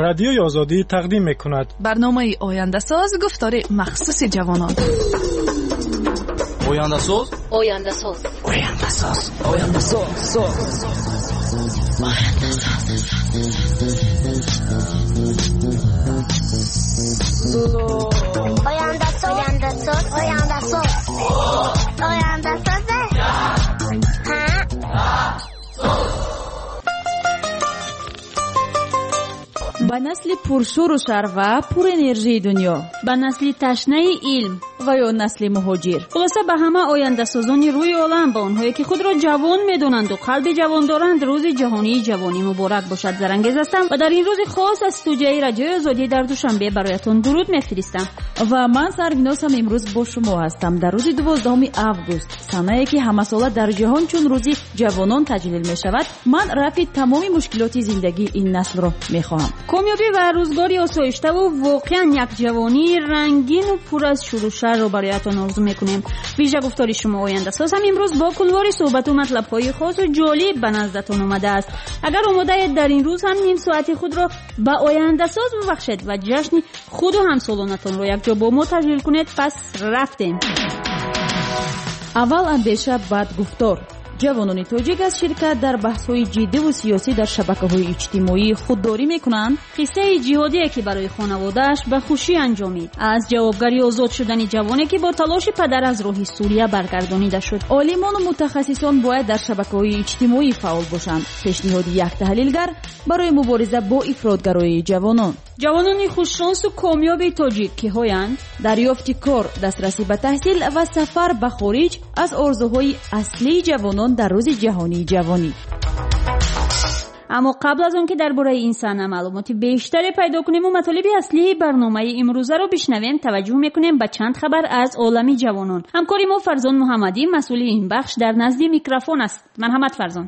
Радиои Озодӣ тақдим мекунад барномаи ояндасоз, гуфтори махсуси ҷавонон. Ояндасоз, ояндасоз, ояндасоз, ояндасоз, ояндасоз, ояндасоз, ояндасоз, ояндасоз. Ба насли пуршӯру шар ва пурэнержии дунё, ба насли ташнаи илм ва ё насли муҳоҷир, хулоса ба ҳама ояндасозони рӯи олам, ба онҳое ки худро ҷавон медонанду қалби ҷавон доранд, рӯзи ҷаҳонии ҷавонӣ муборак бошад. Зарангез ҳастам ва дар ин рӯзи хос аз студияи Радиои Озодӣ дар Душанбе бароятон дуруд мефиристам. Ва ман Сарвиносам имрӯз бо шумо ҳастам дар рӯзи 12 август, санае ки ҳамасола дар ҷаҳон чун рӯзи ҷавонон таҷлил мешавад. Ман рафъи тамоми мушкилоти зиндагии ин наслро мехоҳам. Комёбӣ ва рӯзгори осоиштаву воқеан як ҷавонии рангину пур аз шӯру шарро бароятон орзу мекунем. Вижа гуфтори шумо ояндасоз ҳам имрӯз бо кунвори суҳбату матлабҳои хосу ҷолиб ба наздатон омадааст. Агар омодаед, дар ин рӯз ҳам ним соати худро ба ояндасоз бубахшед ва ҷашни худу ҳамсолонатонро якҷо бо мо таҷлил кунед, пас рафтем. Аввал андеша, баъд гуфтор. Ҷавонони тоҷик аз ширкат дар баҳсҳои ҷиддиву сиёсӣ дар шабакаҳои иҷтимоӣ худдорӣ мекунанд. Қиссаи ҷиҳодие ки барои хонаводааш ба хушӣ анҷомид, аз ҷавобгари озод шудани ҷавоне ки бо талоши падар аз роҳи Сурия баргардонида шуд. Олимону мутахассисон бояд дар шабакаҳои иҷтимоӣ фаъол бошанд. Пешниҳоди як таҳлилгар барои мубориза бо ифротгароии ҷавонон. Ҷавонони хушшонсу комёби тоҷик киҳоянд? Дарёфти кор, дастрасӣ ба таҳсил ва сафар ба хориҷ аз орзуҳои аслии ҷавонон дар рӯзи ҷаҳонии ҷавонӣ. Аммо қабл аз он ки дар бораи ин саҳна маълумоти бештаре пайдо кунему матолиби аслии барномаи имрӯзаро бишнавем, таваҷҷӯҳ мекунем ба чанд хабар аз олами ҷавонон. Ҳамкори мо Фарзон Муҳаммадӣ, масъули ин бахш, дар назди микрофон аст. Марҳамат, Фарзон.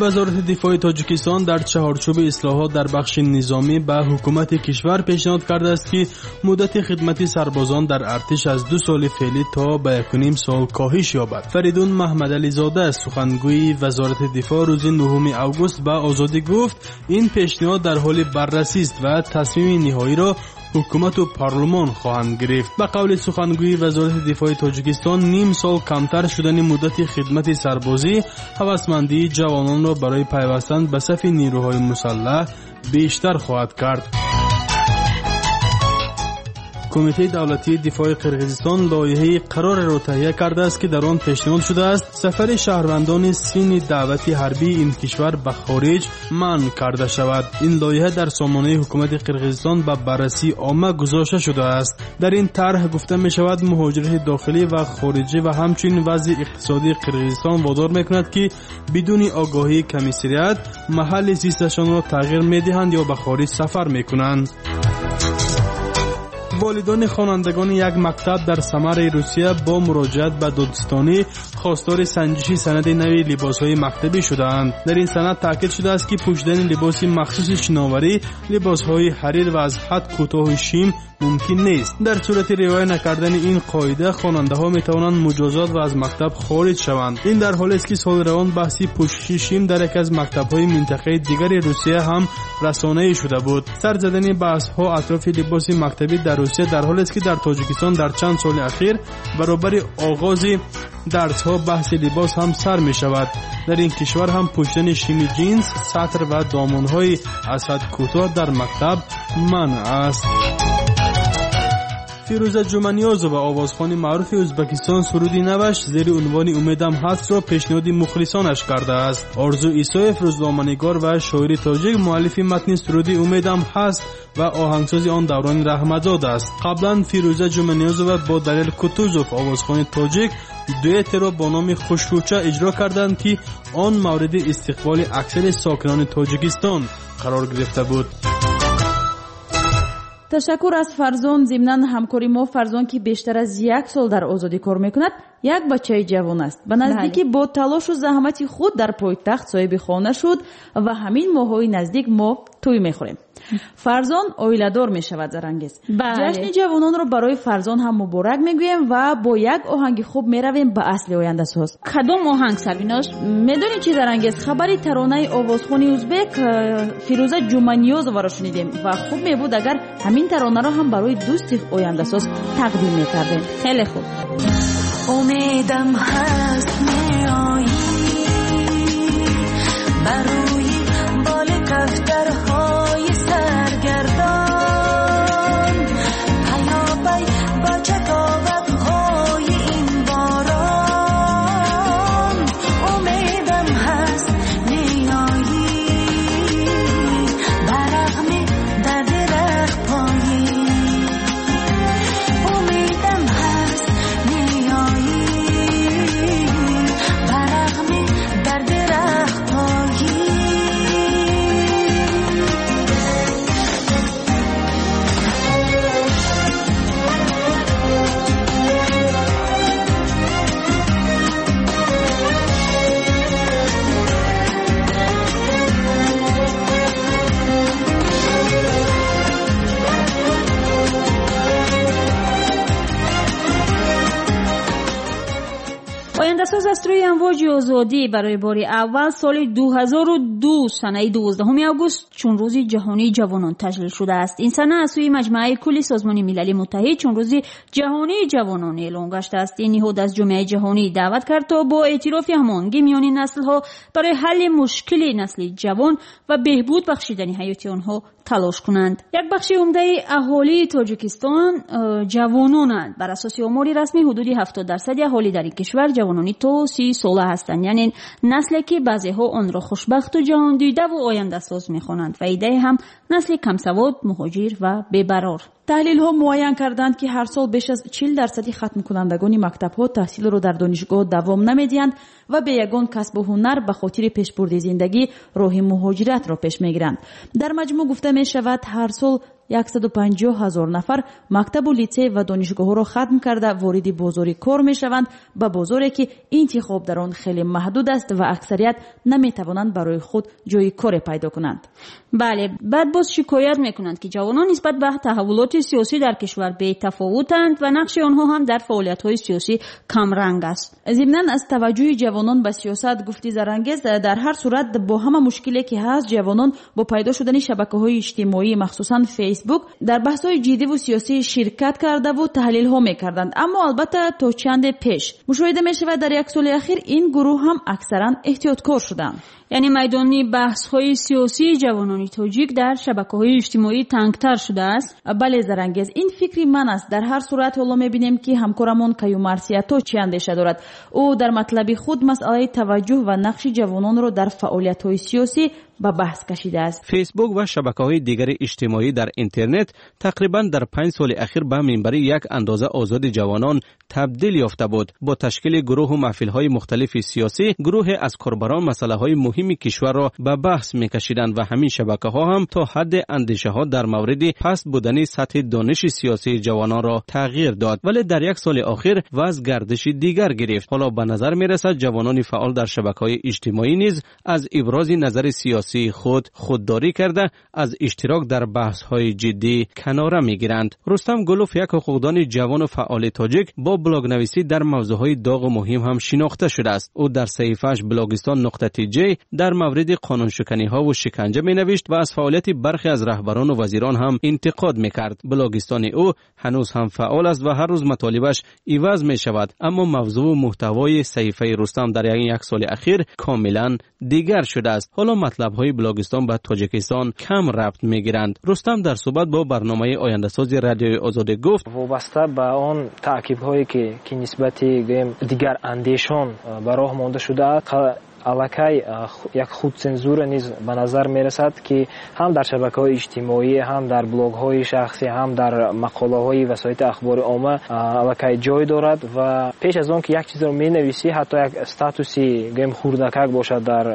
Вазорати дифои Тоҷикистон дар чаҳорчӯби ислоҳот дар бахши низомӣ ба ҳукумати кишвар пешниҳод кардааст, ки муддати хидмати сарбозон дар артиш аз 2 соли феълӣ то ба 1,5 сол коҳиш ёбад. Фаридун Маҳмадализода, сухангӯи Вазорати дифоъ, рӯзи 9 август ба Озодӣ гуфт, ин пешниҳод дар ҳоли баррасист ва тасмими ниҳоиро ҳукумату парлумон хоҳанд гирифт. Ба қавли сухангӯи Вазорати дифои Тоҷикистон, ним сол камтар шудани муддати хидмати сарбозӣ ҳавасмандии ҷавононро барои пайвастан ба сафи нерӯҳои мусаллаҳ бештар хоҳад кард. Кумитаи давлатии дифои Қирғизистон лоиҳаи қарореро таҳия кардааст, ки дар он пешниҳод шудааст сафари шаҳрвандони синни даъвати ҳарбии ин кишвар ба хориҷ манъ карда шавад. Ин лоиҳа дар сомонаи ҳукумати Қирғизистон ба баррасии омма гузошта шудааст. Дар ин тарҳ гуфта мешавад, муҳоҷирати дохилӣ ва хориҷӣ ва ҳамчунин вазъи иқтисодии Қирғизистон водор мекунад, ки бидуни огоҳии комиссариат маҳалли зисташонро тағйир медиҳанд ё ба хориҷ сафар мекунанд. Волидони хонандагони як мактаб дар Самараи Русия бо муроҷиат ба додстонӣ хостори санҷиши санади нави либосҳои мактабӣ шудаанд. Дар ин санад таъкид шудааст, ки пӯшидани либоси махсуси шиноварӣ, либосҳои ҳарир ва аз ҳад кӯтоҳи шим мумкин нест. Дар сурати риоя накардани ин қоида хонандаҳо метавонанд муҷозот ва аз мактаб хориҷ шаванд. Ин дар ҳолест, ки соли равон баҳси пӯшиши шим дар яке аз мактабҳои минтақаи дигари Русия ҳам расонаӣ шуда буд. Сар задани баҳсҳо атрофи либоси мактабӣ дар Русия дар ҳолест, ки дар Тоҷикистон дар чанд соли ахир баробари оғози дарсҳо баҳси либос ҳам сар мешавад. Дар ин кишвар ҳам пӯшидани шими ҷинс, сатр ва домонҳои аз ҳад кӯтоҳ дар мактаб манъ аст. Фирӯза Ҷуманиёзова, овозхони маъруфи Ӯзбекистон, суруди наваш зери унвони «Умедам ҳаст»-ро пешниҳоди мухлисонаш кардааст. Орзу Исоев, рӯзноманигор ва шоири тоҷик, муаллифи матни суруди «Умедам ҳаст» ва оҳангсози он Даврони Раҳматзод аст. Қаблан Фирӯза Ҷуманиёзова бо Далел Кутузов, овозхони тоҷик, дуэтеро бо номи «Хушкӯча» иҷро карданд, ки он мавриди истиқболи аксари сокинони Тоҷикистон қарор гирифта буд. Ташаккур аз Фарзон. Зимнан ҳамкори мо Фарзон, ки бештар аз 1 сол дар Озодӣ кор мекунад, як бачаи ҷавон аст. Ба наздикӣ бо талошу заҳмати худ дар пойтахт соҳиби хона шуд ва ҳамин моҳҳои наздик мо тӯй мехӯрем. Фарзон оиладор мешавад, Зарангез. Ҷашни ҷавононро барои Фарзон ҳам муборак мегӯем ва бо як оҳанги хуб меравем ба асли ояндасоз. Кадом оҳанг, Сарвиноз? Медонӣ чӣ, Зарангез, хабари таронаи овозхони узбек Фирӯза Ҷуманиёзоваро шунидем ва хуб мебуд, агар ҳамин таронаро ҳам барои дӯсти ояндасоз тақдим мекардем. Хеле хуб. Умедам ҳаст, меоӣ бар рӯи боли кафтарҳои саргардон, паёпай бо чаковатҳои ин борон. Умедам ҳаст, меоӣ ба рағми дарди рахпоӣ. Умедам ҳаст, меоӣ ба рағми дарди рахпоӣ. Ояндасоз аз рӯи амвоҷи озодӣ барои бори аввал соли 2002 санаи 12 август чун рӯзи ҷаҳонии ҷавонон таҷлил шудааст. Ин сана аз сӯи Маҷмааи кулли Созмони Милали Муттаҳид чун рӯзи ҷаҳонии ҷавонон эълон гаштааст. Ин ниҳод аз ҷомеаи ҷаҳонӣ даъват кард, то бо эътирофи ҳамоҳангӣ миёни наслҳо барои ҳалли мушкили насли ҷавон ва беҳбуд бахшидани ҳаёти онҳо талош кунанд. Як бахши умдаи аҳолии Тоҷикистон ҷавононанд. Бар асоси омори расмӣ ҳудуди 70% аҳолӣ дар ин кишвар ҷавонони то 30 сола ҳастанд, яъне насле ки баъзеҳо онро хушбахту ҷаҳондидаву ояндасоз мехонанд ва иддаи ҳам насли камсавод, муҳоҷир ва бебарор. Таҳлилҳо муайян карданд, ки ҳар сол беш аз 40% хатмкунандагони мактабҳо таҳсилро дар донишгоҳ давом намедиҳанд ва бе ягон касбу ҳунар ба хотири пешбурди зиндагӣ роҳи муҳоҷиратро пеш мегиранд. Дар маҷмӯъ гуфта мешавад, ҳар сол 150 ҳазор нафар мактабу литсей ва донишгоҳҳоро хатм карда вориди бозори кор мешаванд, ба бозоре ки интихоб дар он хеле маҳдуд аст ва аксарият наметавонанд барои худ ҷои коре пайдо кунанд. Бале, баъд боз шикоят мекунанд, ки ҷавонон нисбат ба таҳаввулоти сиёсӣ дар кишвар бетафовутанд ва нақши онҳо ҳам дар фаъолиятҳои сиёсӣ камранг аст. Зимнан аз таваҷҷӯҳи ҷавонон ба сиёсат гуфти Зарангез, дар ҳар сурат бо ҳама мушкиле ки ҳаст, ҷавонон бо пайдо шудани шабакаҳои иҷтимоӣ, махсусан Фейсбук, дар баҳсҳои ҷиддиву сиёсӣ ширкат кардаву таҳлилҳо мекарданд. Аммо албатта то чанде пеш мушоҳида мешавад, дар як соли ахир ин гурӯҳ ҳам аксаран эҳтиёткор шуданд. Яъне майдони баҳсҳои сиёсии ҷавонони тоҷик дар шабакаҳои иҷтимоӣ тангтар шудааст? Бале, Зарангез, ин фикри ман аст. Дар ҳар сурат ҳоло мебинем, ки ҳамкорамон Каюмарсиято чӣ андеша дорад. Ӯ дар матлаби худ масъалаи таваҷҷӯҳ ва нақши ҷавононро дар фаъолиятҳои сиёсӣ ба баҳс кашидааст. Фейсбук ва шабакаҳои дигари иҷтимоӣ дар интернет тақрибан дар 5 соли ахир ба минбари як андоза озоди ҷавонон табдил ёфта буд. Бо ташкили гурӯҳу маҳфилҳои мухталифи сиёсӣ гурӯҳе аз корбарон масъалаҳои муҳими кишварро ба баҳс мекашиданд ва ҳамин шабакаҳо ҳам то ҳадде андешаҳо дар мавриди паст будани сатҳи дониши сиёсии ҷавононро тағйир дод. Вале дар як соли охир вазъ гардиши дигар гирифт. Ҳоло ба назар мерасад ҷавонони фаъол дар шабакаҳои иҷтимоӣ низ аз ибрози назари сиёсии худ худдорӣ карда аз иштирок дар баҳсҳои ҷиддӣ канора мегиранд. Рустам Гулов, як ҳуқуқдони ҷавону фаъоли тоҷик, бо блогнависӣ дар мавзӯъҳои доғу муҳим ҳам шинохта шудааст. Ӯ дар саҳифааш blogistan.tj дар мавриди қонуншиканиҳову шиканҷа менавишт ва аз фаъолияти бархе аз раҳбарону вазирон ҳам интиқод мекард. Блогистони ӯ ҳанӯз ҳам фаъол аст ва ҳар рӯз матолибаш иваз мешавад, аммо мавзӯъу муҳтавои саҳифаи Рустам дар як соли ахир комилан дигар шудааст. Ҳоло матлабҳои блогистон ба Тоҷикистон кам рабт мегиранд. Рустам дар суҳбат бо барномаи ояндасози Радиои Озодӣ гуфт: вобаста ба он таъқибҳое ки нисбати гӯем дигарандешон ба роҳ монда шудааст, аллакай як худцензура низ ба назар мерасад, ки ҳам дар шабакаҳои иҷтимоӣ, ҳам дар блогҳои шахсӣ, ҳам дар мақолаҳои васоити ахбори омма аллакай ҷой дорад. Ва пеш аз он ки як чизро менависӣ, ҳатто як статуси гӯем хурдакак бошад дар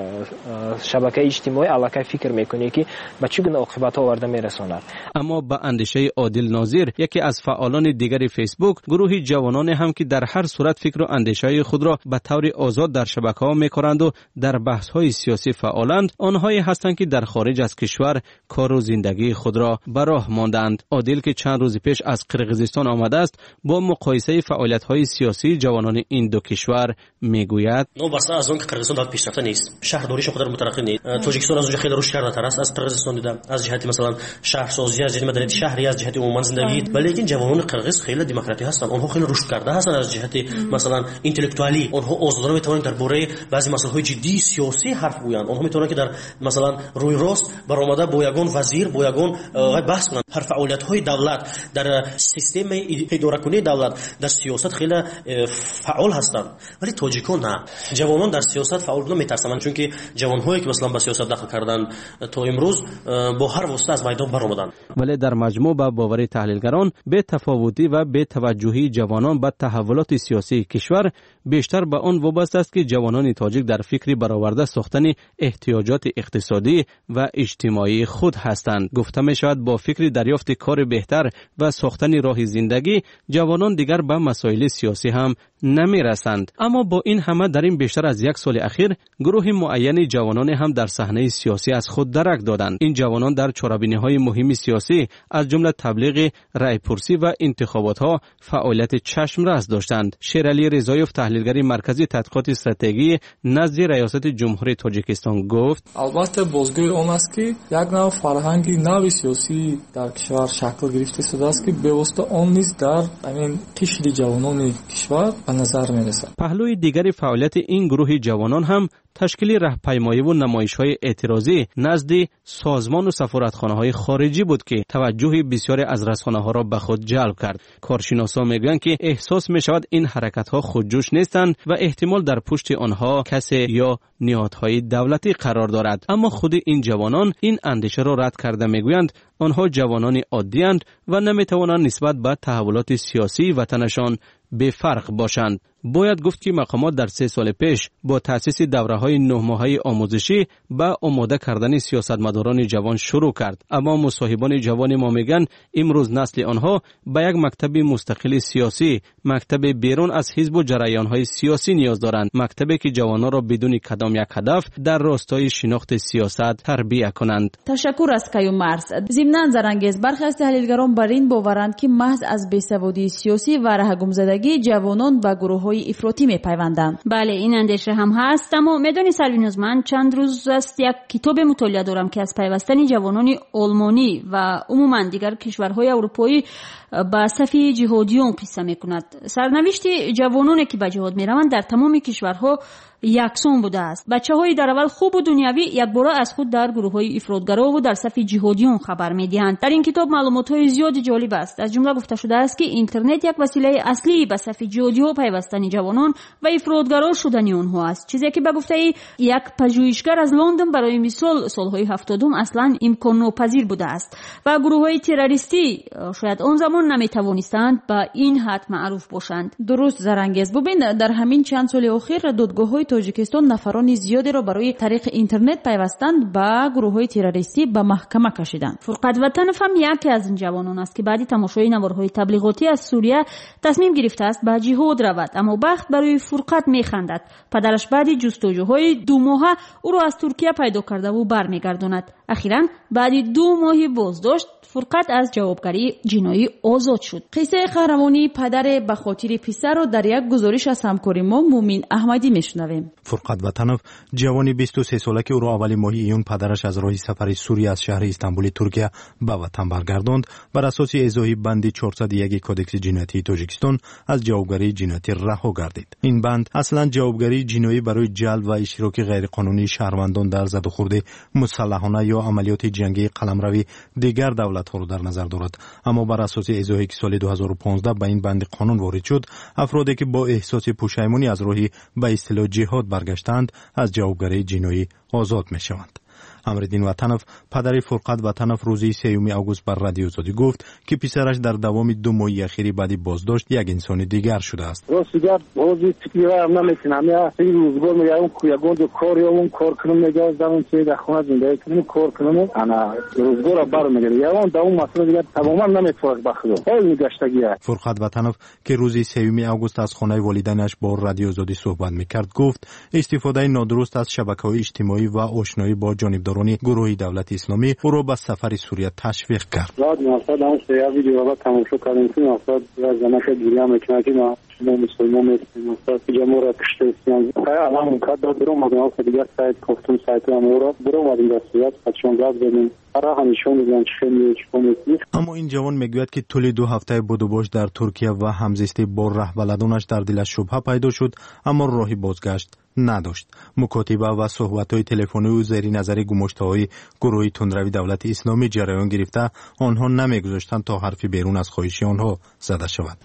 шабакаи иҷтимоӣ, аллакай фикр мекунӣ, ки ба чӣ гуна оқибатҳо оварда мерасонад. Аммо ба андешаи Одил Нозир, яке аз фаъолони дигари Фейсбук, гурӯҳи ҷавононе ҳам ки дар ҳар сурат фикру андешаҳои худро ба таври озод дар шабакаҳо мекоранд дар баҳсҳои сиёсӣ фаъоланд, онҳое ҳастанд, ки дар хориҷ аз кишвар кору зиндагии худро ба роҳ мондаанд. Одил, ки чанд рӯзи пеш аз Қирғизистон омадааст, бо муқоисаи фаъолиятҳои сиёсии ҷавонони ин ду кишвар мегӯяд: Новобаста аз он ки Қирғизистон давлати пешрафта нест, шаҳрдориаш он қадар мутараққӣ нест, Тоҷикистон аз он ҷо хеле рушд кардатар аст аз Қирғизистон дида, аз ҷиҳати масалан шаҳрсозӣ, аз ҷиҳати маданияти шаҳрӣ, аз ҷиҳати умуман зиндагӣ. Валекин ҷавонони қирғиз хеле демократӣ ҳастанд, онҳо хеле рушд карда ҳастанд аз ҷиҳати масалан интеллектуалӣ. Онҳо озодона метавонанд дар бораи баъзе масъалаҳои ҷиддии сиёсӣ ҳарф гӯянд. Онҳо метавонанд, ки дар масалан рӯи рост баромада бо ягон вазир, бо ягон баҳс кунанд. Ҳар фаъолиятҳои давлат дар системаи идоракунии давлат, дар сиёсат хеле фаъол ҳастанд. Вале тоҷикон на. Ҷавонон дар сиёсат фаъол будан метарсанд, чунки ҷавонҳое, ки масалан ба сиёсат дахл карданд, то имрӯз бо ҳар восита аз майдон баромаданд. Вале дар маҷмӯъ, ба бовари таҳлилгарон, бетафовутӣ ва бетаваҷҷӯҳии ҷавонон ба таҳаввулоти сиёсии кишвар бештар ба он вобаста аст, ки ҷавонони тоҷик дар фикри бароварда сохтани эҳтиёҷоти иқтисодӣ ва иҷтимоии худ ҳастанд. Гуфта мешавад, бо фикри дарёфти кори беҳтар ва сохтани роҳи зиндагӣ ҷавонон дигар ба масоили сиёсӣ ҳам намерасанд. Аммо бо ин ҳама дар ин бештар аз як соли ахир гурӯҳи муайяни ҷавононе ҳам дар саҳнаи сиёсӣ аз худ дарак доданд. Ин ҷавонон дар чорабиниҳои муҳими сиёсӣ, аз ҷумла таблиғи раъйпурсӣ ва интихоботҳо, фаъолияти чашмрас доштанд. Шералӣ Ризоев, таҳлилгари Маркази тадқиқоти стратегӣ назди Раёсати Ҷумҳурии Тоҷикистон, гуфт: Албатта, бозгӯи он аст, ки як нав фарҳанги нави сиёсӣ дар кишвар шакл гирифта истодааст, ки бевосита он низ дар ҳамин қишри ҷавонони кишвар ба назар мерасад. Паҳлӯи дигари фаъолияти ин гурӯҳи ҷавонон ҳам ташкили раҳпаймоиву намоишҳои эътирозӣ назди созмону сафоратхонаҳои хориҷӣ буд, ки таваҷҷӯҳи бисёре аз расонаҳоро ба худ ҷалб кард. Коршиносон мегӯянд, ки эҳсос мешавад, ин ҳаракатҳо худҷӯш нестанд ва эҳтимол дар пушти онҳо касе ё ниҳодҳои давлатӣ қарор дорад. Аммо худи ин ҷавонон ин андешаро рад карда мегӯянд, онҳо ҷавонони оддиянд ва наметавонанд нисбат ба таҳаввулоти сиёсии ватанашон бефарқ бошанд. Бояд гуфт, ки мақомот дар 3 соли пеш бо таъсиси давраҳои 9-моҳаи омӯзишӣ ба омода кардани сиёсатмадорони ҷавон шурӯъ кард. Аммо мусоҳибони ҷавони мо мегӯянд, имрӯз насли онҳо ба як мактаби мустақили сиёсӣ, мактаби берун аз ҳизбу ҷараёнҳои сиёсӣ ниёз доранд, мактабе, ки ҷавононро бидуни кадом як ҳадаф дар ростои шинохти сиёсат тарбия кунанд. Ташаккур аз Каюмарс. Зимнан, Зарангез, бархе аз таҳлилгарон бар ин боваранд, ки маҳз аз бесаводии сиёсӣ ва раҳгумзадагӣ ҷавонон ба гурӯҳҳои ифротӣ мепайванданд. Бале, ин андеша ҳам ҳаст, аммо медонӣ, Сарвиноз, ман чанд рӯз аст як китобе мутолиа дорам, ки аз пайвастани ҷавонони олмонӣ ва умуман дигар кишварҳои аврупоӣ ба сафи ҷиҳодиён қисса мекунад. Сарнавишти ҷавононе, ки ба ҷиҳод мераванд, дар тамоми кишварҳо яксон будааст. Бачаҳои дар аввал хубу дунявӣ якбора аз худ дар гурӯҳҳои ифротгарову дар сафи ҷиҳодиён хабар медиҳанд. Дар ин китоб маълумотҳои зиёди ҷолиб аст. Аз ҷумла гуфта шудааст, ки интернет як василаи аслии ба сафи ҷиҳодиҳо пайвастани ҷавонон ва ифротгаро шудани онҳо аст, чизе ки ба гуфтаи як пажӯҳишгар аз Лондон, барои мисол, солҳои 70-ум аслан имконнопазир будааст ва гурӯҳҳои террористӣ шояд он замон наметавонистанд ба ин ҳад маъруф бошанд. Дуруст, Зарангез. Бубин, дар ҳамин чанд соли охир додгоҳҳои Тоҷикистон нафарони зиёдеро барои тариқи интернет пайвастан ба гурӯҳҳои террористӣ ба маҳкама кашиданд. Фурқат Ватанов ҳам яке аз ин ҷавонон аст, ки баъди тамошои наворҳои таблиғотӣ аз Сурия тасмим гирифтааст ба ҷиҳод равад. Аммо бахт барои Фурқат механдад. Падараш баъди ҷустуҷӯҳои 2 моҳа ӯро аз Туркия пайдо кардаву бармегардонад. Ахиран баъди 2 моҳи боздошт Фурқат аз ҷавобгарии ҷиноӣ озод шуд. Қиссаи қаҳрамонии падаре ба хотири писарро дар як гузориш аз ҳамкори мо Муъмин Аҳмадӣ мешунавем. Фурқат Ватанов, ҷавони 23-сола, ки ӯро аввали моҳи июн падараш аз роҳи сафари Сурия аз шаҳри Истанбули Туркия ба ватан баргардонд, бар асоси эзоҳи банди 401 Кодекси ҷиноятии Тоҷикистон аз ҷавобгарии ҷиноятӣ раҳо гардид. Ин банд аслан ҷавобгарии ҷиноӣ барои ҷалб ва иштироки ғайриқонунии шаҳрвандон дар задухӯрди мусаллаҳона ё амалиёти ҷангии қаламрави дигар давлатҳоро дар назар дорад. Аммо бар асоси эзоҳе, ки соли 2015 ба ин банди қонун ворид шуд, афроде, ки бо эҳсоси пушаймонӣ аз роҳи ба истилоҳ ҷиҳод баргаштаанд, аз ҷавобгарии ҷиноӣ озод мешаванд. Амриддин Ватанов, падари Фурқат Ватанов, рӯзи 3 август бар Радиои Озодӣ гуфт, ки писараш дар давоми 2 моҳи ахири баъди боздошт як инсони дигар шудааст. Рости гап, ҳозир фикри ваям наметунам. Рӯзгор мегаям, ягон ҷо кор ёбам, кор кунам, мегӯям, замон чи дар хона зиндагӣ кунам, кор кунам, ана рӯзгорро бармегардам. Ягон давом масъала дигар тамоман наметавонад ба худо. Ҳол мегаштагия. Фурқат Ватанов, ки рӯзи 3 август аз хонаи волидайнаш бо Радиои Озодӣ суҳбат мекард, гуфт истифодаи нодуруст аз шабакаҳои иҷтимоӣ ва ошноӣ бо ҷонибдорони гурӯҳи давлати исломӣ ӯро ба сафари Сурия ташвиқ кард. Баъд мақсад ҳам як видео тамошо кардем, ки мақсад як занака гиря мекунад, ки мо мусулмон нестем, мақсад инҷа моро куштаистанд. Алҳамдулиллоҳ кардам, биромадем, дигар сайт кофтум, сайтам ӯро биромадем дар сурат, пачон гап задем. Аммо ин ҷавон мегӯяд, ки тӯли 2 ҳафтаи будубош дар Туркия ва ҳамзистӣ бо раҳбаладонаш дар дилаш шубҳа пайдо шуд, аммо роҳи бозгашт надошт. Мукотиба ва суҳбатҳои телефонию зери назари гумоштаҳои гурӯҳи тундрави давлати исломӣ ҷараён гирифта, онҳо намегузоштанд то ҳарфи берун аз хоҳиши онҳо зада шавад.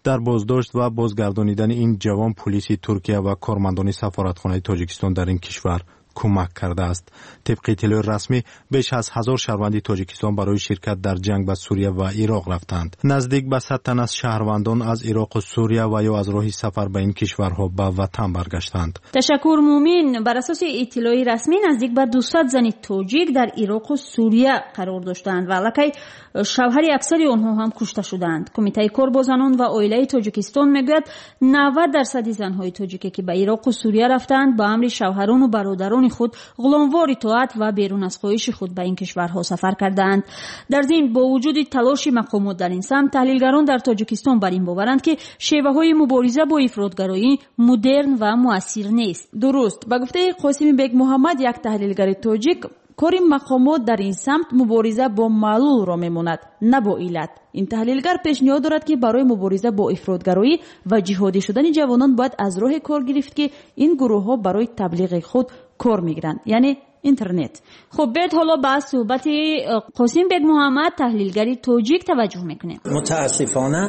Дар боздошт ва бозгардонидани ин ҷавон пулиси Туркия ва кормандони сафоратхонаи Тоҷикистон дар ин кишвар кӯмак кардааст. Тибқи иттилои расмӣ, беш аз 1000 шаҳрванди Тоҷикистон барои ширкат дар ҷанг ба Сурия ва Ироқ рафтанд. Наздик ба 100 тан аз шаҳрвандон аз Ироқу Сурия ва ё аз роҳи сафар ба ин кишварҳо ба ватан баргаштанд. Ташаккур, Мумин. Бар асоси иттилои расмӣ, наздик ба 200 зани тоҷик дар Ироқу Сурия қарор доштанд ва аллакай шавҳари аксари онҳо ҳам кушта шуданд. Кумитаи кор бо занон ва оилаи Тоҷикистон мегӯяд, 90% занҳои тоҷике ки ба Ироқу Сурия рафтанд, ба амри шавҳарону бародарони худ ғуломвор итоат ва берун аз хоҳиши худ ба ин кишварҳо сафар кардаанд. Дар зимн, бо вуҷуди талоши мақомот дар ин самт, таҳлилгарон дар Тоҷикистон бар ин боваранд, ки шеваҳои мубориза бо ифротгароӣ мудерн ва муассир нест. Дуруст. Ба гуфтаи Қосими Бекмуҳаммад, як таҳлилгари тоҷик, кори мақомот дар ин самт мубориза бо маълулро мемонад, на бо иллат. Ин таҳлилгар пешниҳод дорад, ки барои мубориза бо ифротгароӣ ва ҷиҳодӣ шудани ҷавонон бояд аз роҳе кор гирифт, ки ин гурӯҳҳо барои таблиғи худ кор мегиранд, яъне интернет. Хуб, биёед ҳоло ба суҳбати Қосим Бекмуҳаммад, таҳлилгари тоҷик, таваҷҷӯҳ мекунем. Мутаассифона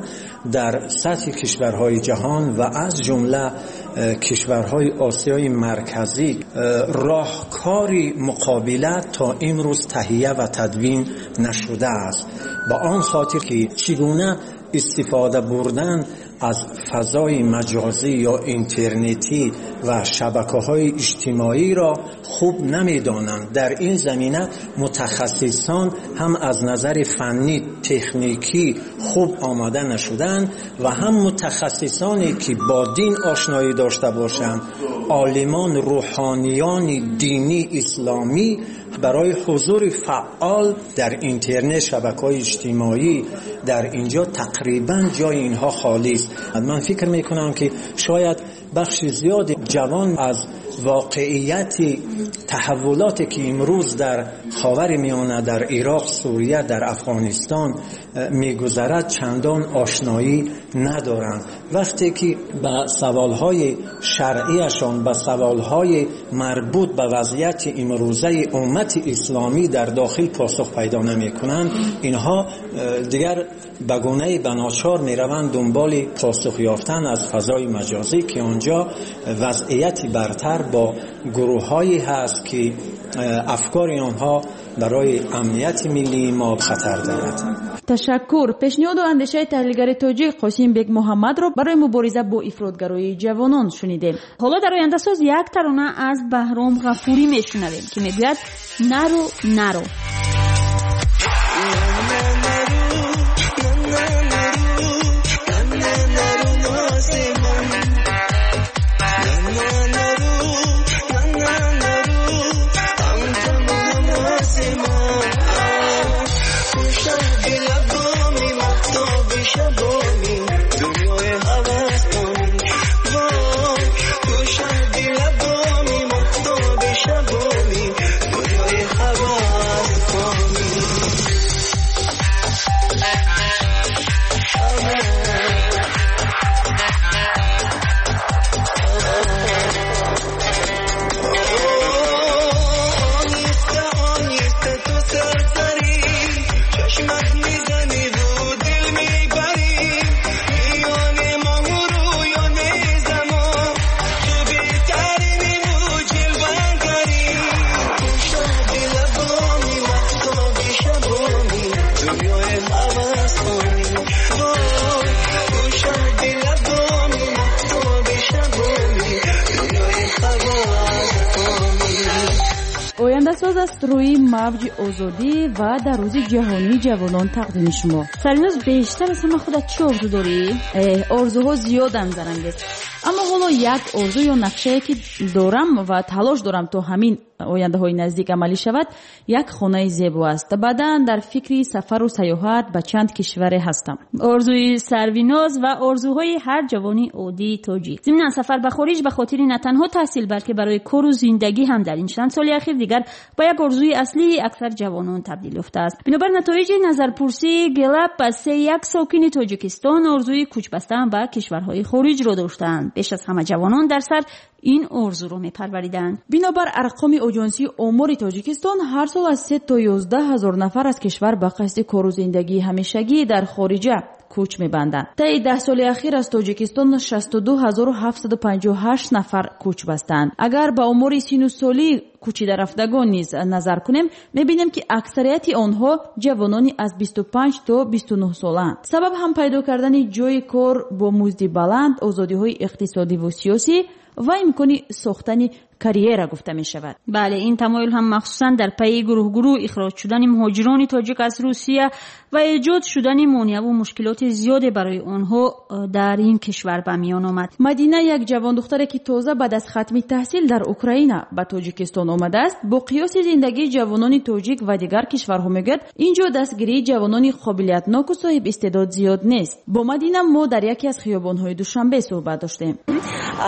дар сатҳи кишварҳои ҷаҳон ва аз ҷумла кишварҳои Осиёи Марказӣ роҳкори муқобила то имрӯз таҳия ва тадвин нашудааст. Ба он хотир ки чӣ гуна истифода бурдан аз фазои маҷозӣ ё интернетӣ ва шабакаҳои иҷтимоиро хуб намедонанд. Дар ин замина мутахассисон ҳам аз назари фаннӣ, техникӣ хуб омода нашуданд ва ҳам мутахассисоне ки бо дин ошноӣ дошта бошанд, олимон, рӯҳониёни динӣ исломӣ барои ҳузури фаъол дар интернет, шабакаҳои иҷтимоӣ дар инҷо тақрибан ҷои инҳо холӣ аст. Ман фикр мекунам ки шояд бахши зиёди ҷавон аз воқеияти таҳаввулоте ки имрӯз дар Ховари Миёна, дар Ироқ, Сурия, дар Афғонистон мегузарад, чандон ошноӣ надоранд. Вақте ки ба саволҳои шаръияшон, ба саволҳои марбут ба вазъияти имрӯзаи уммати исломӣ дар дохил посух пайдо намекунанд, инҳо дигар ба гунаи ба ночор мераванд дунболи посух ёфтан аз фазои маҷозӣ, ки онҷо вазъияти бартар бо гурӯҳҳое ҳаст ки афкори онҳо барои амнияти миллии мо хатар дорад. Ташаккур. Пешниҳоду андешаи таҳлилгари тоҷик Қосим Бекмуҳаммадро барои мубориза бо ифротгароии ҷавонон шунидем. Ҳоло дар ояндасоз як тарона аз Баҳром Ғафурӣ мешунавем, ки мегӯяд наро, наро. شبابی دنیای هواس. Ояндасоз аст рӯи мавҷи озодӣ ва дар рӯзи ҷаҳонии ҷавонон тақдими шумо. Сарвиноз, бештар аз ҳама худат чӣ орзу дорӣ? Орзуҳо зиёданд, Зарангез, аммо ҳоло як орзу ё нақшае ки дорам ва талош дорам то ҳамин ояндаҳои наздик амалӣ шавад, як хонаи зебо аст. Баъдан дар фикри сафару сайёҳат ба чанд кишваре ҳастам. Орзуи Сарвиноз ва орзуҳои ҳар ҷавони оддии тоҷик. Зимнан сафар ба хориҷ ба хотири на танҳо таҳсил, балки барои кору зиндагӣ ҳам дар ин чанд соли ахир дигар ба як орзуи аслии аксар ҷавонон табдил ёфтааст. Бинобар натоиҷи назарпурсии Гэллап ба 31 сокини Тоҷикистон орзуи кӯчбастан ба кишварҳои хориҷро доштаанд. Беш аз ҳама ҷавонон дар сар ин орзуро мепарвариданд. Бинобар арқоми оҷонсии омори Тоҷикистон, ҳар сол аз 3 то 11 ҳазор нафар аз кишвар ба қасди кору зиндагии ҳамешагӣ дар хориҷа кӯч мебанданд. Таи 10 соли ахир аз Тоҷикистон 62758 нафар кӯч бастанд. Агар ба омори сину соли кӯчидарафтагон низ назар кунем, мебинем ки аксарияти онҳо ҷавонони аз 25 то 29 солаанд. Сабаб ҳам пайдо кардани ҷойи кор бо музди баланд, озодиҳои иқтисодиву сиёсӣ ва имкони сохтани карьера гуфта мешавад. Бале, ин тамоюл ҳам махсусан дар пайи гурӯҳ-гурӯҳ ихроҷ шудани муҳоҷирони тоҷик аз Русия ва эҷод шудани монеаву мушкилоти зиёде барои онҳо дар ин кишвар ба миён омад. Мадина, як ҷавондухтаре ки тоза баъд аз хатми таҳсил дар Украина ба Тоҷикистон омадааст, бо қиёси зиндагии ҷавонони тоҷик ва дигар кишварҳо мегӯяд, ин ҷо дастгирии ҷавонони қобилиятноку соҳиб истеъдод зиёд нест. Бо Мадина мо дар яке аз хиёбонҳои Душанбе суҳбат доштем.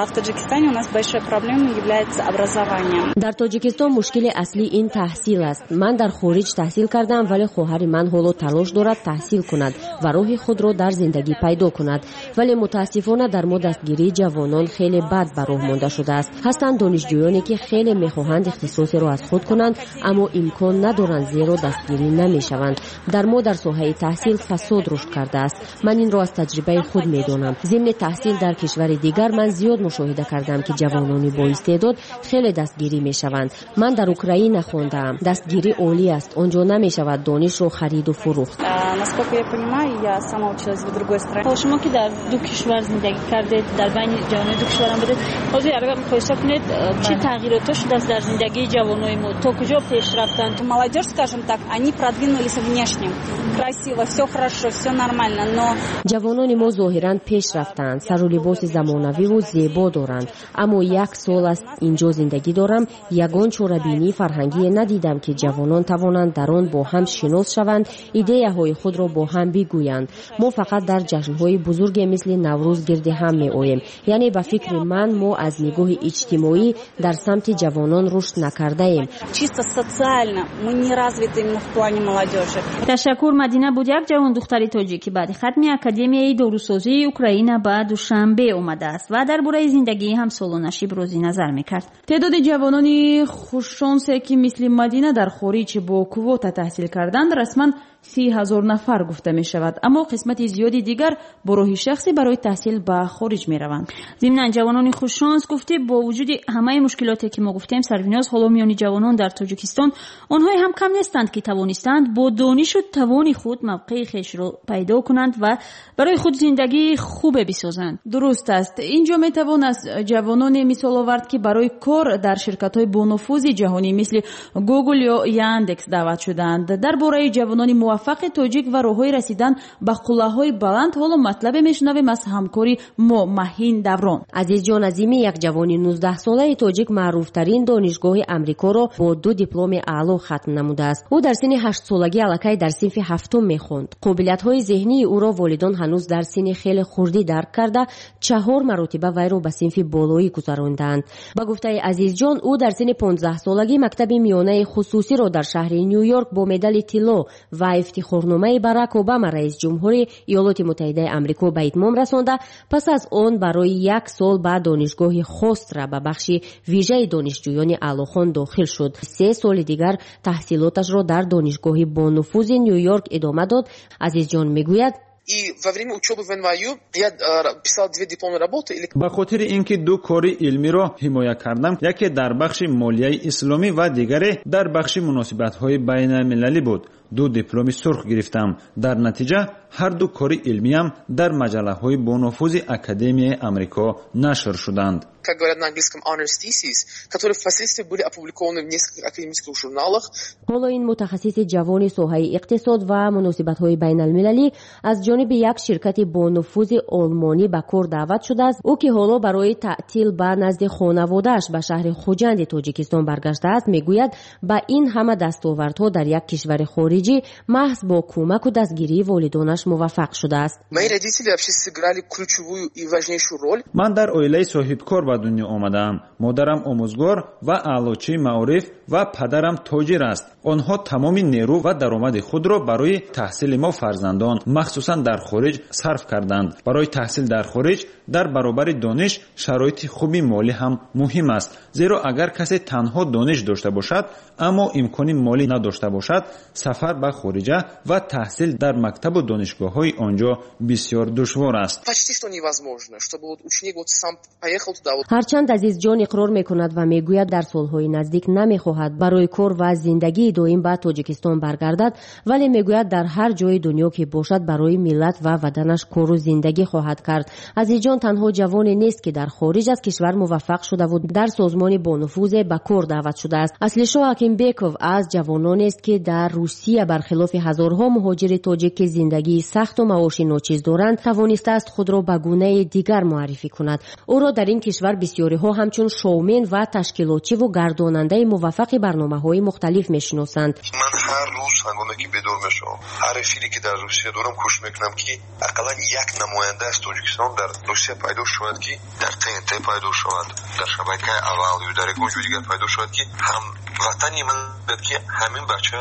В Таджикистане у нас большой проблемой является образование. Дар Тоҷикистон мушкили аслӣ ин таҳсил аст. Ман дар хориҷ таҳсил кардам, вале хоҳари ман ҳоло талош дорад таҳсил кунад ва роҳи худро дар зиндагӣ пайдо кунад. Вале мутаассифона дар мо дастгирии ҷавонон хеле бад ба роҳ монда шудааст. Ҳастанд донишҷӯёне ки хеле мехоҳанд ихтисосеро аз худ кунанд, аммо имкон надоранд, зеро дастгирӣ намешаванд. Дар мо дар соҳаи таҳсил фасод рушд кардааст. Ман инро аз таҷрибаи худ медонам. Зимни таҳсил дар кишвари дигар ман зиёд мушоҳида кардам, ки ҷавонони боистеъдод хеле дастгирӣ мешаванд. Ман дар Украина хондаам. Дастгирӣ олӣ аст. Он ҷо намешавад донишро хариду фурӯхт. Насколько я понимаю, я сама училась в другой стране. Шумо ки дар ду кишвар зиндагӣ кардед, дар байни ҷавонони ду кишварам будед, ҳозир агар муқоиса кунед, чӣ тағйиротҳо шудааст дар зиндагии ҷавонони мо? То куҷо пеш рафтанд? Молодежь, скажем так, они продвинулись внешне. Красиво, все хорошо, все нормально, но ҷавонони мо зоҳиран пеш рафтаанд, сару либоси замонавиву зебо доранд, аммо як сол аст инҷо зиндагӣ дорам, ягон чорабинии фарҳангие надидам, ки ҷавонон тавонанд дар он бо ҳам шинос шаванд, идеяҳои худро бо ҳам бигӯянд. Мо фақат дар ҷашнҳои бузурге мисли Наврӯз гирди ҳам меоем. Яъне ба фикри ман мо аз нигоҳи иҷтимоӣ дар самти ҷавонон рушд накардаем. Чисто социально мы не развиты именно в плане молодежи. Ташаккур. Мадина буд як ҷавондухтари тоҷик, ки баъди хатми Академияи дорусозии Украина ба Душанбе омадааст ва дар бораи зиндагии ҳамсолонаш ибрози назар мекард. Теъдоди ҷавонони хушшонсе ки мисли Мадина дар хориҷ бо квота таҳсил карданд, расман 30 ҳазор нафар гуфта мешавад, аммо қисмати зиёди дигар бо роҳи шахсӣ барои таҳсил ба хориҷ мераванд. Зимнан ҷавонони хушшонс гуфтӣ, бо вуҷуди ҳамаи мушкилоте ки мо гуфтем, Сарвиноз, ҳоло миёни ҷавонон дар Тоҷикистон онҳое ҳам кам нестанд, ки тавонистанд бо донишу тавони худ мавқеи хешро пайдо кунанд ва барои худ зиндагии хубе бисозанд. Дуруст аст. Инҷо метавон аз ҷавононе мисол овард, ки барои кор дар ширкатҳои бонуфузи ҷаҳонӣ мисли Google ё Яндекс даъват шуданд. Дар бораи ҷавонони муваффақи тоҷик ва роҳҳои расидан ба қуллаҳои баланд ҳоло матлабе мешунавем аз ҳамкори мо Маҳин Даврон. Азизҷон Азимӣ, як ҷавони 19-солаи тоҷик, маъруфтарин донишгоҳи Амрикоро бо 2 дипломи аъло хатм намудааст. Ӯ дар синни 8-солагӣ аллакай дар синфи 7 мехонд. Қобилиятҳои зеҳнии ӯро волидон ҳанӯз дар синни хеле хурдӣ дарк карда, 4 маротиба вайро ба синфи болоӣ гузарондаанд. Ба гуфтаи Азизҷон, ӯ дар синни 15-солагӣ мактаби миёнаи хусусиро дар шаҳри Ню-Йорк бо медали тилло ва ифтихорномаи Барак Обама, раис ҷумҳури Иёлоти Муттаҳидаи Амрико, ба итмом расонда, пас аз он барои як сол ба донишгоҳи Хостра ба бахши вижаи донишҷӯёни аълохон дохил шуд. 3 соли дигар таҳсилоташро дар донишгоҳи бонуфузи Ню-Йорк идома дод. Азизҷон мегӯяд: И во время учебы в НВЮ я писал 2 дипломные работы. Ба хотири ин ки 2 кори илмиро ҳимоя кардам, яке дар бахши молияи исломӣ ва дигаре дар бахши муносибатҳои байналмилалӣ буд. 2 дипломи сурх гирифтам. Дар натиҷа ҳар ду кори илмиям дар маҷаллаҳои бонуфузи Академияи Амрико нашр шуданд. как говорят на английском, honors theses, которые впоследствии были опубликованы в нескольких академических журналах. Ҳоло ин мутахассиси ҷавони соҳаи иқтисод ва муносибатҳои байналмилалӣ аз ҷониби як ширкати бонуфузи олмонӣ ба кор даъват шудааст. Ӯ ки ҳоло барои таътил ба назди хонаводааш ба шаҳри Хуҷанди Тоҷикистон баргаштааст, мегӯяд, ба ин ҳама дастовардҳо дар як кишвари хориҷӣ маҳз бо кӯмаку дастгирии волидонаш муваффақ шудааст. Мои родители вообще сыграли ключевую и важнейшую роль. Ман дар оилаи соҳибкор ба дунё омадаам. Модарам омӯзгор ва аълочии маориф ва падарам тоҷир аст. Онҳо тамоми нерӯ ва даромади худро барои таҳсили мо фарзандон, махсусан дар хориҷ, сарф карданд. Барои таҳсил дар хориҷ дар баробари дониш шароити хуби молӣ ҳам муҳим аст, зеро агар касе танҳо дониш дошта бошад, аммо имкони молӣ надошта бошад, сафар ба хориҷа ва таҳсил дар мактабу донишгоҳҳои он ҷо бисёр душвор аст. Почти что невозможно, чтобы вот ученик вот сам поехал туда. Ҳарчанд Азизҷон иқрор мекунад ва мегӯяд, дар солҳои наздик намехоҳад барои кор ва зиндагии доим ба Тоҷикистон баргардад, вале мегӯяд, дар ҳар ҷои дунё ки бошад, барои миллат ва ватанаш кору зиндагӣ хоҳад кард. Азизҷон танҳо ҷавоне нест, ки дар хориҷ аз кишвар муваффақ шудаву дар созмони бонуфузе ба кор даъват шудааст. Аслишоҳ Ҳакимбеков аз ҷавононест, ки дар Русия бархилофи ҳазорҳо муҳоҷири тоҷик, ки зиндагии сахту маоши ночиз доранд, тавонистааст худро ба гунаи дигар муаррифӣ кунад. Ӯро дар ин кишвар бисёриҳо ҳамчун шоумен ва ташкилотчиву гардонандаи муваффақи барномаҳои мухталиф мешиносанд. Ман ҳар рӯз ҳангоме ки бедор мешавам, ҳар эфире ки дар Русия дорам, кӯшиш мекунам, ки ақаллан як намоянда аз Тоҷикистон дар Русия пайдо шавад, ки дар ТНТ пайдо шавад, дар шабакаи аввал ё дар ягон ҷои дигар пайдо шавад, ки ҳамватани ман бигӯяд, ки ҳамин бача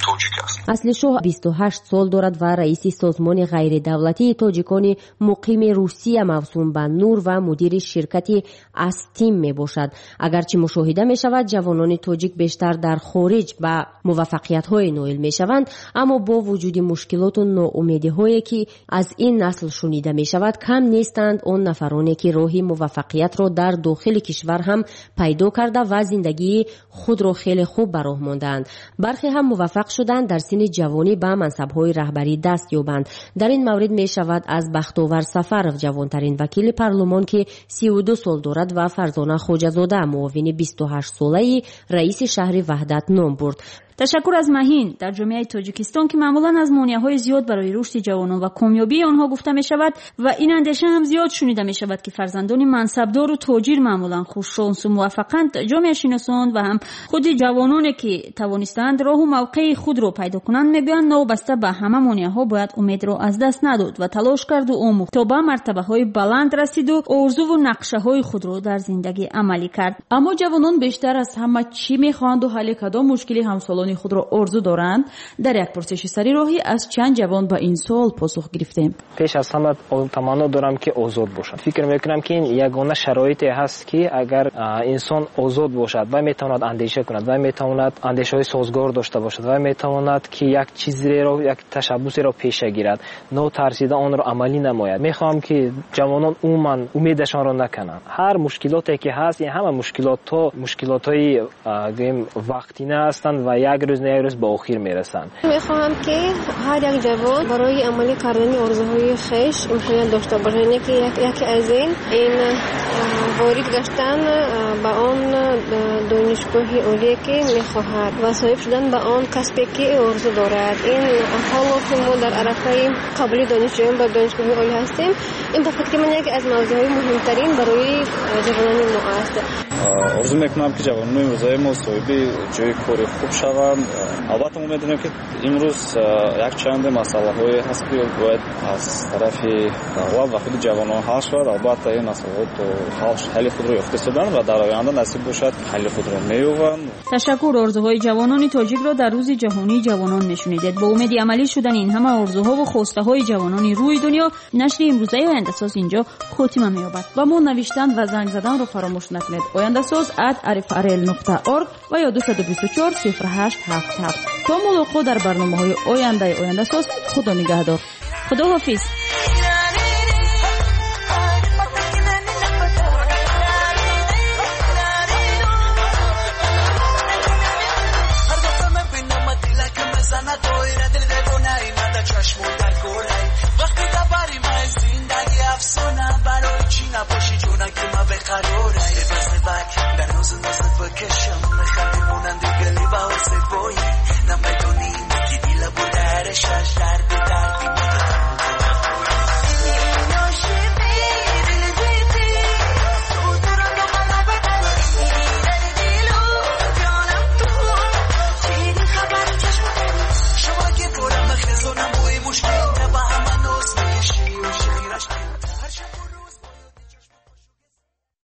тоҷик аст. Аслишоҳ 28 сол дорад ва раиси созмони ғайридавлатии тоҷикони муқими Русия мавсум ба Нур ва мудири ширкати Астим мебошад. Агарчи мушоҳида мешавад, ҷавонони тоҷик бештар дар хориҷ ба муваффақиятҳое ноил мешаванд, аммо бо вуҷуди мушкилоту ноумедиҳое, ки аз ин насл шунида мешавад, кам нестанд он нафароне, ки роҳи муваффақиятро дар дохили кишвар ҳам пайдо карда ва зиндагии худро хеле хуб ба роҳ мондаанд. Бархе ҳам муваффақ шуданд дар синни ҷавонӣ ба мансабҳои раҳбарӣ даст ёбанд. Дар ин маврид мешавад аз Бахтовар Сафаров, ҷавонтарин вакили парлумон, ки 32 сол дорад, ва Фарзона Хоҷазода, муовини 28-солаи раиси шаҳри Ваҳдат ном бурд. Ташаккур аз Маҳин. Дар ҷомеаи Тоҷикистон, ки маъмулан аз монеаҳои зиёд барои рушди ҷавонон ва комёбии онҳо гуфта мешавад ва ин андеша ҳам зиёд шунида мешавад, ки фарзандони мансабдору тоҷир маъмулан хушшонсу муваффақанд, ҷомеашиносон ва ҳам худи ҷавононе, ки тавонистаанд роҳу мавқеи худро пайдо кунанд, мегӯянд, новобаста ба ҳама монеаҳо бояд умедро аз даст надод ва талош карду омӯхт, то ба мартабаҳои баланд расиду орзуву нақшаҳои худро дар зиндагӣ амалӣ кард. Аммо ҷавонон бештар аз ҳама чӣ мехоҳанду ҳалли кадом мушкили ҳамсолон худро орзу доранд? Дар як пурсиши сари роҳӣ аз чанд ҷавон ба ин суол посух гирифтем. Пеш аз ҳама таманно дорам, ки озод бошам. Фикр мекунам, ки ин ягона шароите ҳаст, ки агар инсон озод бошад, вай метавонад андеша кунад, вай метавонад андешаҳои созгор дошта бошад, вай метавонад, ки як чизеро, як ташаббусеро пеша гирад, нотарсида онро амалӣ намояд. Мехоҳам, ки ҷавонон умуман умедашонро накунанд. Ҳар мушкилоте ки ҳаст, ин ҳама мушкилотҳо мушкилотҳои гӯем вақтина ҳастанд ва як рӯз на як рӯз ба охир мерасанд. Мехоҳам, ки ҳар як ҷавон барои амалӣ кардани орзуҳои хеш имконият дошта бошад. Яъне ки яке аз ин ворид гаштан ба он донишгоҳи олие, ки мехоҳад, ва соҳиб шудан ба он касбе, ки орзу дорад. Ин ҳоло ки мо дар арафаи қабули донишҷӯён ба донишгоҳи олӣ ҳастем, ин ба фикри ман яке аз мавзӯъҳои муҳимтарин барои ҷавонони мо аст. Орзу мекунам, ки ҷавонони имрӯзаи мо соҳиби ҷои кори хуб шаванд. Албатта мо медонем, ки имрӯз якчанд масъалаҳое ҳаст, ки бояд аз тарафи давлат ва худи ҷавонон ҳал шавад. Албатта ин масъалаҳо то ҳалли худро ёфта шуданд ва дар оянда насиб бошад, ҳалли худро меёбанд. Ташаккур. Орзуҳои ҷавонони тоҷикро дар рӯзи ҷаҳонии ҷавонон мешунидед. Бо умеди амалӣ шудани ин ҳама орзуҳову хостаҳои ҷавонони рӯи дунё, нашри имрӯзаи Ояндасоз инҷо хотима меёбад. Ба мо навиштан ва занг заданро фаромӯш накунед. Ояндасоз @rfrl.org ва ё 224 08 77. То мулоқот дар барномаҳои ояндаи Ояндасоз, Худо нигаҳдор. Худо ҳофиз. وقتی دبری من زندگی افسانه، برای چی نباشی جونه که من بقرارم.